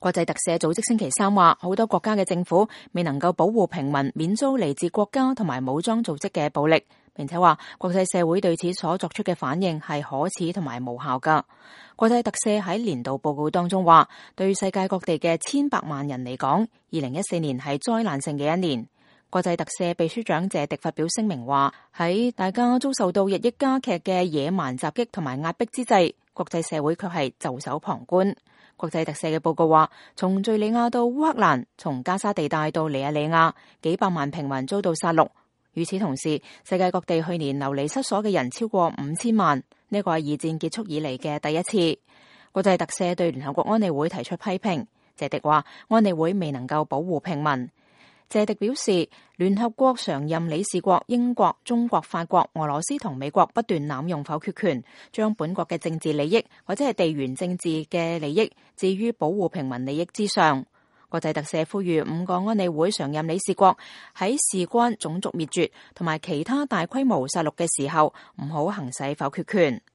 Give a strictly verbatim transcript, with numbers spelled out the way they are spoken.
國際特赦組織星期三話，好多國家嘅政府未能夠保護平民免遭嚟自國家同埋武裝組織嘅暴力，並且話國際社會對此所作出嘅反應係可恥同埋無效噶。國際特赦喺年度報告當中話，對世界各地嘅千百萬人嚟講，二零一四年係災難性嘅一年。國際特赦秘書長謝迪發表聲明話，喺大家遭受到日益加劇嘅野蠻襲擊同埋壓迫之際，國際社會卻係袖手旁觀。國際特赦嘅報告話，從敘利亞到烏克蘭，從加沙地帶到尼日利亞，幾百萬平民遭到殺戮。與此同時，世界各地去年流離失所嘅人超過五千萬，呢個係二戰結束以嚟嘅第一次。國際特赦對聯合國安理會提出批評，謝迪話安理會未能夠保護平民。謝迪表示，聯合國常任理事國英國、中國、法國、俄羅斯同美國不斷濫用否決權，將本國嘅政治利益或者係地緣政治嘅利益置於保護平民利益之上。國際特赦呼籲五個安理會常任理事國喺事關種族滅絕同埋其他大規模殺戮嘅時候，唔好行使否決權。